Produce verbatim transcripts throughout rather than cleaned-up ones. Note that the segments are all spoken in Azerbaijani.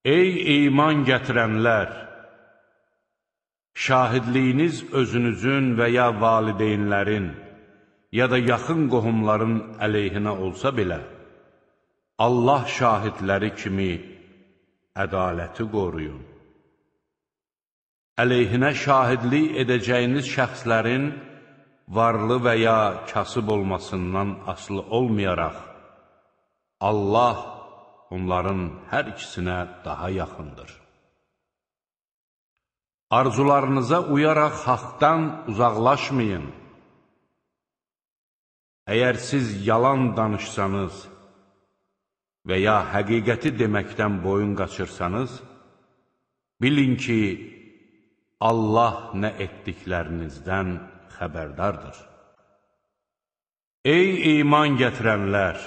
Ey iman gətirənlər! Şahidliyiniz özünüzün və ya valideynlərin, ya da yaxın qohumların əleyhinə olsa belə, Allah şahidləri kimi ədaləti qoruyun. Əleyhinə şahidlik edəcəyiniz şəxslərin varlı və ya kasıb olmasından asılı olmayaraq, Allah onların hər ikisinə daha yaxındır. Arzularınıza uyaraq haqdan uzaqlaşmayın. Əgər siz yalan danışsanız və ya həqiqəti deməkdən boyun qaçırsanız, bilin ki, Allah nə etdiklərinizdən xəbərdardır. Ey iman gətirənlər!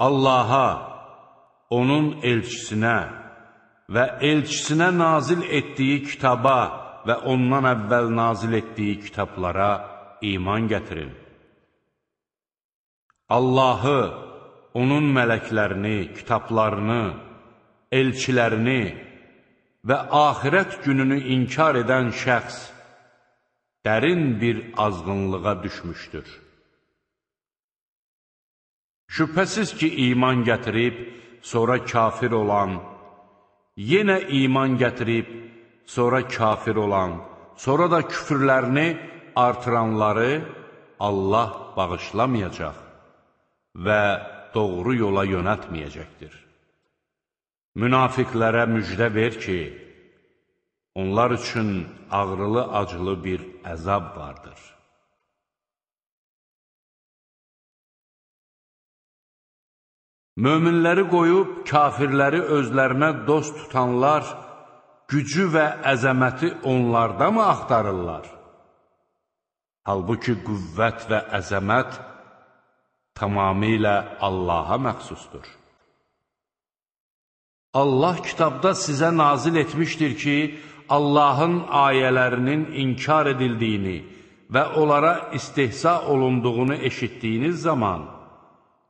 Allaha, onun elçisinə və elçisinə nazil etdiyi kitaba və ondan əvvəl nazil etdiyi kitablara iman gətirin. Allahı, onun mələklərini, kitablarını, elçilərini və axirət gününü inkar edən şəxs dərin bir azğınlığa düşmüşdür. Şübhəsiz ki, iman gətirib, sonra kafir olan, yenə iman gətirib, sonra kafir olan, sonra da küfürlərini artıranları Allah bağışlamayacaq və doğru yola yönəltməyəcəkdir. Münafiqlərə müjdə ver ki, onlar üçün ağrılı-acılı bir əzab vardır. Möminləri qoyub, kafirləri özlərinə dost tutanlar, gücü və əzəməti onlarda mı axtarırlar? Halbuki qüvvət və əzəmət tamamilə Allaha məxsusdur. Allah kitabda sizə nazil etmişdir ki, Allahın ayələrinin inkar edildiyini və onlara istehza olunduğunu eşitdiyiniz zaman,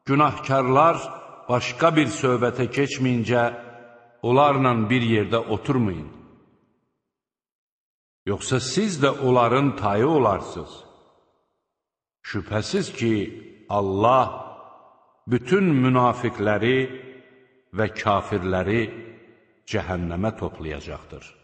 günahkarlar başqa bir söhbətə keçməyincə, onlarla bir yerdə oturmayın. Yoxsa siz də onların tayı olarsınız. Şübhəsiz ki, Allah bütün münafiqləri və kafirləri cəhənnəmə toplayacaqdır.